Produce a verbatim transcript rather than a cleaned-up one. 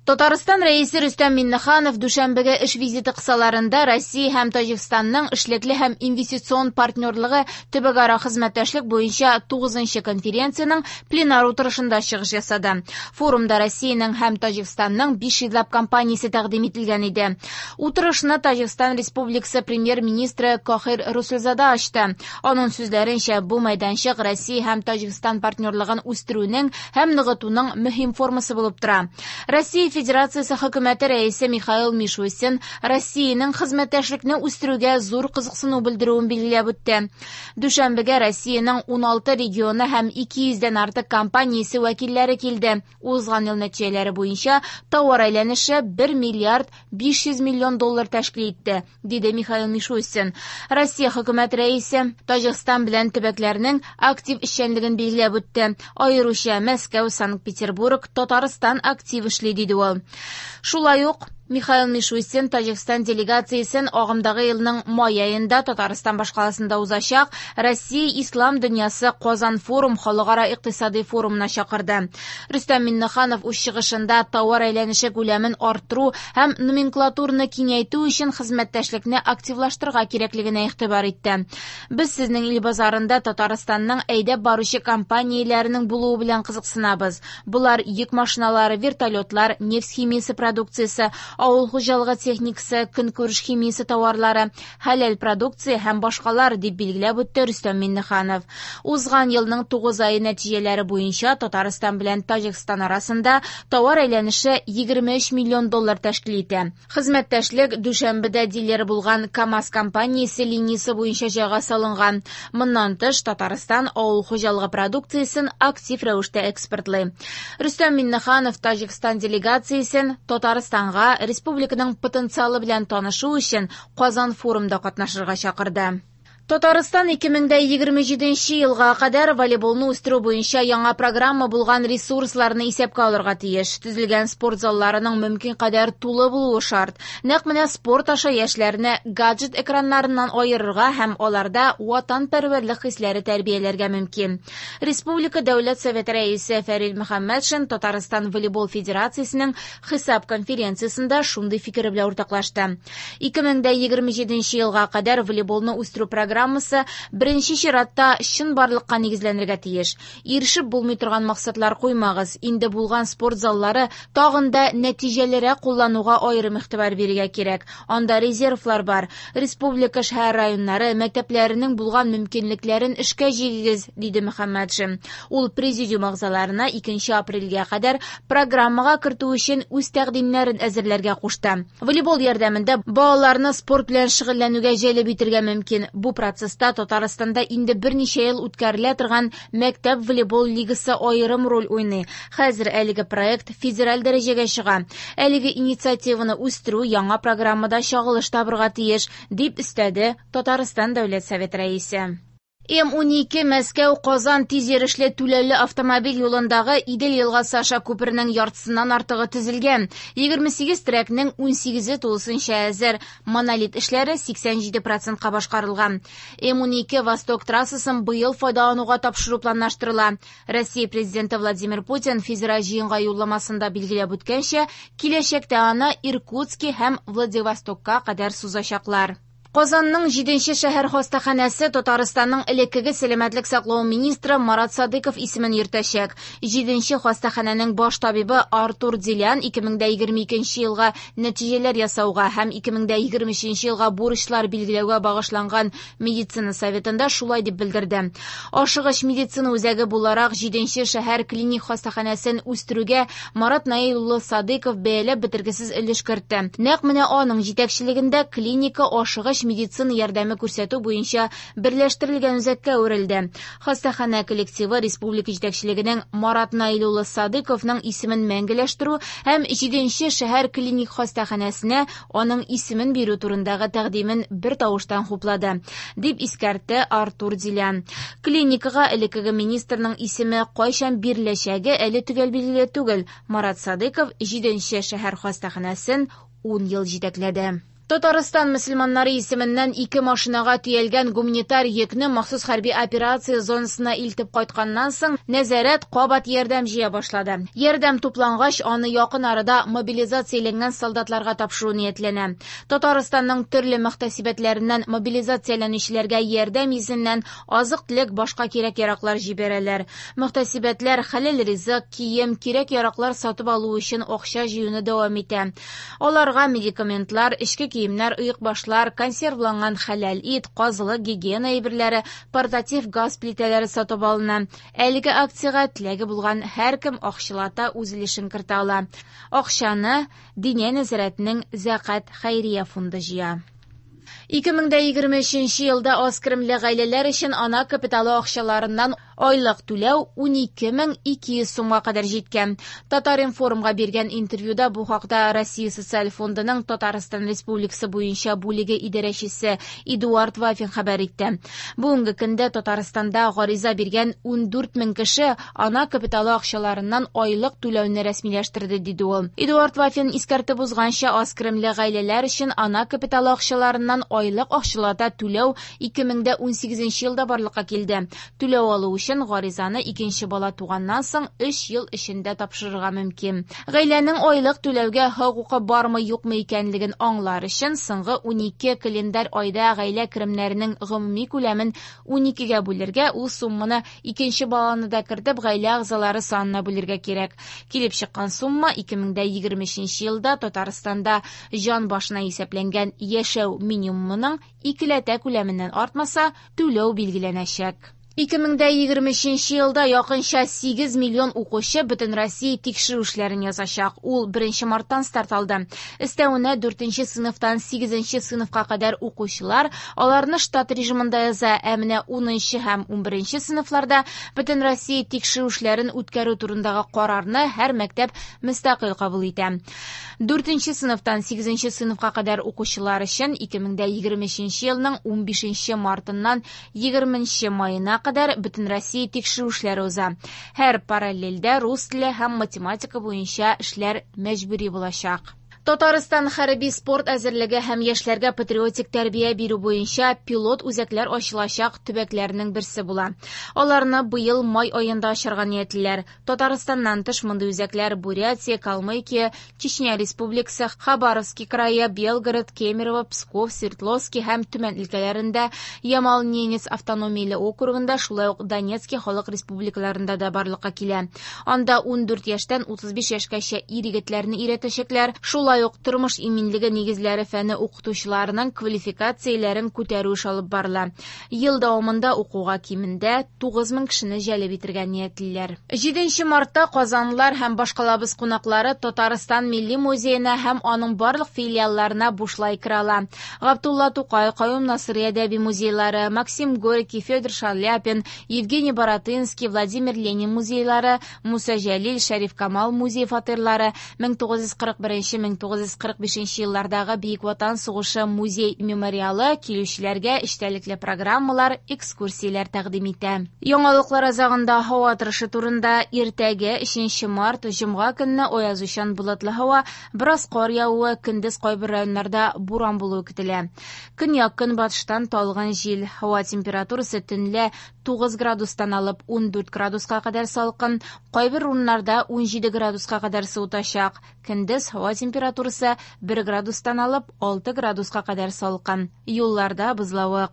Татарстан Рәисе Рөстәм Миңнеханов Дүшәнбегә эш визиты кысаларында Россия һәм Таҗикстанның эшлекле һәм инвестицион партнерлыгы төбәкара хезмәттәшлек буенча тугызынчы конференциянең пленар утырышында чыгыш ясады. Форумда Россиянең һәм Таҗикстанның биш йөзләп компаниясе тәкъдим ителгән иде. Утырышны Таҗикстан Республикасы премьер-министры Кохир Расулзода ачты. Аның сүзләренчә, бу мәйданчык Россия һәм Таҗикстан партнерлыгын үстерүнең һәм ныгытуның мөһим формасы булып тора. Россия Федерациясе хөкүмәте рәисе Михаил Мишустин Россиянең хезмәттәшлекне үстерүгә зур кызыксыну белдерүен билгеләп үтте. Дүшәнбегә Россиянең уналты регионы һәм ике йөздән артык компаниясе вәкилләре килде. Узган ел нәтиҗәләре буенча товар әйләнеше бер миллиард биш йөз миллион доллар тәшкил итте, диде Михаил Мишустин. Россия хөкүмәт рәисе Таҗикстан белән төбәкләрнең актив эшчәнлеген билгеләп үтте. Аеруча Мәскәү, Санкт-Петербург, Татарстан актив эшли, диде ул. Шулай ук Михаил Мишустин Таҗикстан делегациясен агымдагы елның май аенда Татарстан башкаласында узачак Россия Ислам дөньясы Казан форум халыкара икътисади форумына чакырды. Рөстәм Миңнеханов үз чыгышында товар әйләнеше күләмен арттыру һәм номенклатураны киңәйтү өчен хезмәттәшлекне активлаштырырга кирәклегенә игътибар итте. Без сезнең ил базарында Татарстанның әйдәп баручы компанияләренең булуы белән кызыксынабыз. Булар йөк машиналары, вертолетлар, нефть химиясе продукциясе, авыл хуҗалыгы техникасы, көнкүреш химиясе товарлары, хәләл продукция һәм башкалар, дип билгеләп үтте Рөстәм Миңнеханов. Узган елның тугыз ае нәтиҗәләре буенча Татарстан белән Таҗикстан арасында товар әйләнеше егерме өч миллион доллар тәшкил итә. Хезмәттәшлек Дүшәнбедә дилер булган КАМАЗ компаниясе линиясе буенча җайга салынган. Моннан тыш, Татарстан авыл хуҗалыгы продукциясен актив рәвештә экспортлый. Рөстәм Миңнеханов Таҗикстан делегациясен Татарстанга республиканың потенциалы белән танышу өчен Казан форумда катнашырга чакырды. Татарстан ике мең дә егерме җиденче елга кадәр волейболны үстерү буенча яңа программа булган ресурсларны исәпкә алырга тиеш. Төзелгән спорт залларының мөмкин кадәр тулы булуы шарт. Нәкъ менә спорт аша яшьләрне гаджет экраннарыннан аерырга һәм аларда ватанпәрвәрлек хисләре тәрбияләргә мөмкин. Республика Дәүләт Советы рәисе Фәрит Мөхәммәтшин Татарстан волейбол федерациясенең хисап конференциясендә шундый фикер белән уртаклашты. Ике мең дә егерме җиденче елга кадәр волейболны үстерү программасы программасы беренче чиратта чынбарлыкка нигезләнергә тиеш. Ирешеп булмый торган максатлар куймагыз. Инде булган спорт заллары тагын да нәтиҗәлерәк куллануга аерым игътибар бирергә кирәк. Анда резервлар бар. Республика шәһәр районнары мәктәпләренең булган мөмкинлекләрен эшкә җигегез, диде Мөхәммәтшин. Ул президиум әгъзаларына икенче апрельгә кадәр программага кертү өчен үз тәкъдимнәрен әзерләргә кушты. Волейбол ярдәмендә балаларны спорт белән шөгыльләнүгә җәлеп итәргә мөмкин. Бу процесста Татарстанда инде берничә ел үткәрелә торган мәктәп волейбол лигасы аерым роль уйный. Хәзер әлеге проект федераль дәрәҗәгә чыга. Әлеге инициативаны үстерү яңа программада чагылыш табырга тиеш, дип өстәде Татарстан Дәүләт Советы рәисе. М унике Мәскәү Казан тиз йөрешле түләүле автомобиль юлындагы Идел елгасы аша күпернең яртысыннан артыгы төзелгән. Егерме сигез трекның унсигезе тулысынча әзер. Монолит эшләре сиксән җиде процентка башкарылган. М унике Восток трассасын быел файдалануга тапшыру планлаштырыла. Россия президенты Владимир Путин федераль җыенга юлламасында билгеләп үткәнчә, киләчәктә аны Иркутски һәм Владивостокка кадәр сузачаклар. Казанның җиденче шәһәр хастаханәсе Татарстанның элеккеге сәламәтлек саклау министры Марат Садыков исемен йөртәчәк. Җиденче хастаханәнең баш табибы Артур Дилян ике мең дә егерме икенче елга нәтиҗәләр ясауга һәм ике мең дә егерме өченче елга бурычлар билгеләүгә багышланган медицина советында шулай дип белдерде. Ашыгыч медицина үзәге буларак җиденче шәһәр клиник хастаханәсен үстерүгә Марат Наил улы Садыков бәяләп бетергесез өлеш кертте. Нәкъ менә аның җитәкчелегендә клиника ашыгыч медицина ярдәме күрсәтү буенча берләштерелгән үзәккә әверелде. Хастаханә коллективы республика җитәкчелегенең Марат Наил улы Садыковның исемен мәңгеләштерү һәм җиденче шәһәр клиник хастаханәсенә аның исемен бирү турындагы тәкъдимен бер тавыштан хуплады, дип искәртте Артур Дилян. Клиникага элеккеге министрның исеме кайчан биреләчәге әле төгәл билгеле түгел. Марат Садыков җиденче шәһәр хастаханәсен ун ел җитәкләде. Татарстан мөселманнары исеменнән ике машинага төялгән гуманитар йөкне махсус хәрби операция зонасына илтеп кайтканнан соң нәзарәт кабат ярдәм җыя башлады. Ярдәм туплангач, аны якын арада мобилизацияләнгән солдатларга тапшыру ниятләнә. Татарстанның төрле мөхтәсибәтләреннән мобилизацияләнүчеләргә ярдәм йөзеннән азык-төлек, башка кирәк-яраклар җибәрәләр. Мөхтәсибәтләр хәләл ризык, кием, кирәк-яраклар сатып алу өчен акча җыюны дәвам итә. Аларга медикаментлар, эчке киемнәр, оекбашлар, консервланган хәләл ит, казылык, гигиена әйберләре, портатив газ плитәләре сатып алына. Әлеге акциягә теләге булган һәркем акчалата үз өлешен кертә ала. Акчаны Диния нәзарәтенең Зәкят хәйрия фонды җыя. ике мең дә егерме өченче елда аз керемле гаиләләр өчен ана капиталы акчаларыннан айлык түләү унике мең ике йөз сумга кадәр җиткән. Татар-информга биргән интервьюда бу хакта Россия Социаль фондының Татарстан Республикасы буенча бүлеге идарәчесе Эдуард Вафин хәбәр итте. Бүгенге көндә Татарстанда гариза биргән ундүрт мең кеше ана капиталы акчаларыннан айлык түләүне рәсмиләштерде, диде ул. Эдуард Вафин искәртеп узганча, аз керемле гаиләләр өчен ана капиталы акчаларыннан айлык акчалата түләү ике мең дә унсигезенче елда барлыкка килде. Түләү алу өчен гаризаны икенче бала туганнан соң өч ел эчендә тапшырырга мөмкин. Гаиләнең айлык түләүгә хокукы бармы юкмы икәнлеген аңлар өчен соңгы унике календарь айда гаилә керемнәренең гомуми күләмен уникегә бүлергә, ул сумманы икенче баланы да кертеп гаилә әгъзалары санына бүлергә кирәк. Килеп чыккан сумма ике мең дә егерме өченче елда Татарстанда җан башына исәпләнгән яшәү минимумының икеләтә күләменнән артмаса, түләү билгеләнәчәк. ике мең дә егерме өченче елда якынча сигез миллион укучы бөтен Россия тикшерү эшләрен язачак. Ул беренче марттан старт алды. Өстәвенә дүртенче сыйныфтан сигезенче сыйныфка кадәр укучылар аларны штат режимында яза, ә менә унынчы һәм унберенче сыйныфларда бөтен Россия тикшерү эшләрен үткәрү турындагы карарны һәр мәктәп мөстәкыйль кабул итә. Дүртенче сыйныфтан сигезенче сыйныфка кадәр укучылар өчен ике мең дә егерме өченче елның унбишенче мартыннан егерменче маена кадәр бөтен Россия тикшерү эшләре уза. Һәр параллельдә рус теле һәм математика буенча эшләр мәҗбүри булачак. Татарстан хәрби спорт әзерлеге һәм яшьләргә патриотик тәрбия бирү буенча пилот үзәкләр ачылачак төбәкләрнең берсе була. Аларны быел май аенда ачарга ниятлиләр. Татарстаннан тыш мондый үзәкләр Бурятия, Калмыкия, Чечня Республикасы, Хабаровский крае, Белгород, Кемерово, Псков, Свердловский һәм Төмән өлкәләрендә, Ямал-Ненец автономияле округында, шулай ук Донецкий халык республикаларында да барлыкка килә. Анда ундүрт яшьтән утыз биш яшькәчә ир-егетләрне өйрәтәчәкләр. Шулай ук тормыш иминлеге нигезләре фәне укытучыларының квалификацияләрен күтәрү эше алып барыла. Ел дәвамында укуга кимендә тугыз мең кешене җәлеп итәргә ниятлиләр. Җиденче мартта казанлылар һәм башкалабыз кунаклары Татарстан Милли музеена һәм аның барлык филиалларына бушлай керә ала. Габдулла Тукай, Каюм Насыйри әдәби музейлары, Максим Горький, Федор Шаляпин, Евгений Баратынский, Владимир Ленин музейлары, Муса Җәлил, Шәриф Камал музей фатирлары, мең тугыз йөз кырык беренче, мең тугыз йөз кырык бишенче еллардагы Бөек Ватан сугышы музей мемориалы килүчеләргә эчтәлекле программалар, экскурсияләр тәкъдим итә. Яңалыклар азагында һава торышы турында. Иртәгә өченче март җомга көнне аязучан болытлы һава, бераз кар явуы, көндез кайбер районнарда буран булуы көтелә. Көньяк көнбатыштан талгын җил. Һава температурасы төнлә тугыз градустан алып ундүрт градуска кадәр салкын, кайбер урыннарда унҗиде градуска кадәр суытачак. Көндез һава температурасы бер градустан алып алты градуска кадәр салкын. Юлларда бозлавык.